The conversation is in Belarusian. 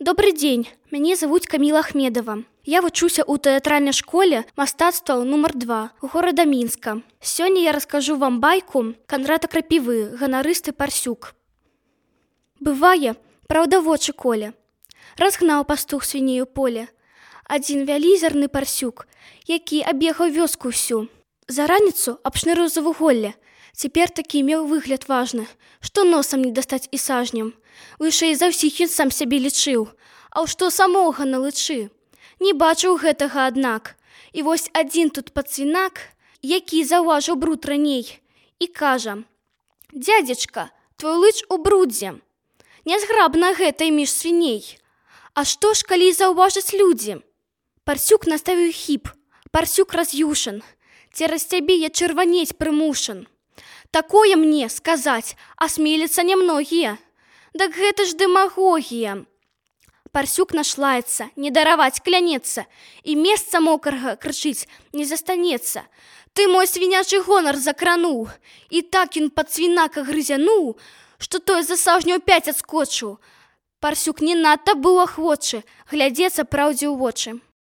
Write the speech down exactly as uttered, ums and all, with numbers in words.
Добрый дзень, мяне завуць Каміла Ахмедова. Я вучуся ў тэатральнай школе мастацтва нумар два у горада Мінска. Сёння я раскажу вам байку Кандрата Крапівы, ганарысты Парсюк. Бывае, праўда вочы коле. Разгнаў пастух свіней у поле. Адзін вялізерны парсюк, які абегаў вёску ўсю. За раніцу абшнырыў за вуголле. Цяпер такі меў выгляд важны, што носам не дастаць і сажнем. Вышэй за ўсіх ён сам сябе лічыў, а ў што самога налычы. Не бачыў гэтага, аднак. І вось адзін тут пацвінак, які заўважыў бруд раней, і кажа: «Дзядзечка, твой лыч у брудзе. Нязграбна гэта між свіней. А што ж, калі заўважаць людзі?» Парсюк наставіў хіп, парсюк раз'юшан. Цераз цябе я чырванець прымушан. Такое мне сказаць асмеліцца нямногія. Дак гэта ж дэмагогія. Парсюк нашлаецца, не дараваць клянецца, і месца мокрага, крычыць, не застанецца. Ты мой свінячы гонар закрануў, і так ён пад свінака грызянуў, што той за сажню пяць адскочыў. Парсюк не надта быў ахвочы глядзецца праўдзе ў вочы.